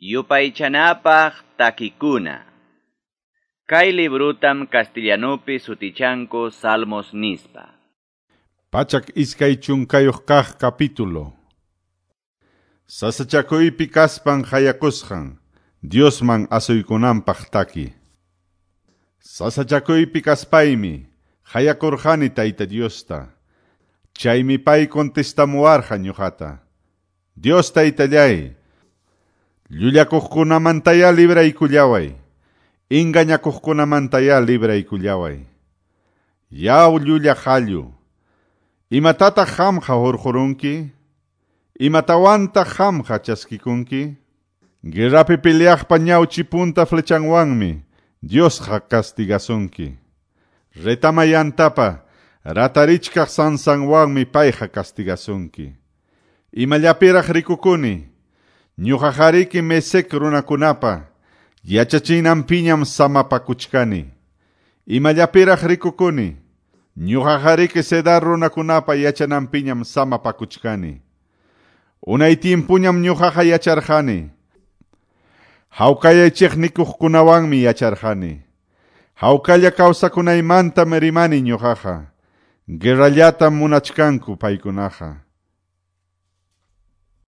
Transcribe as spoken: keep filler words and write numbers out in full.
Yupaychanapaq takikuna. Kay librutam castellanupi sutichanku Salmos nispa. Pachak iskay chunkayuq kaq capítulo. Sasachakuypi kaspan hayakusqan, Diosman asuykunanpaq taki. Sasachakuypi kaspaymi, hayakurqani Tayta Diosta. Chaymi pay contestamuwarqa ñuqata. Dios Taytallay, llullakuqkunamantaya libraykullaway, engañakuqkunamantaya libraykullaway. Yaw llulla qallu, imatataq qamqa hurqurunki? Imatawantaq qamqa chaskikunki? Guerrapi peleaqpa ñawchi punta flechanwanmi Diosqa castigasunki. Retamayantapa ratarichkaq sansanwanmi payqa castigasunki. Imallapiraq rikukuni, ñuqaqariki Mesec runakunapa yachachinanpiñam samapakuchkani. Imallapiraq rikukuni, ñuqaqariki Cedar runakunapa yachananpiñam samapakuchkani. Unay tiempuñam ñuqaqa yacharqani. Hawkayaychik nikuqkunawanmi yacharqani. Hawkalla kawsakunaymantam rimani ñuqaqa. Guerrallatam munachkanku paykunaqa.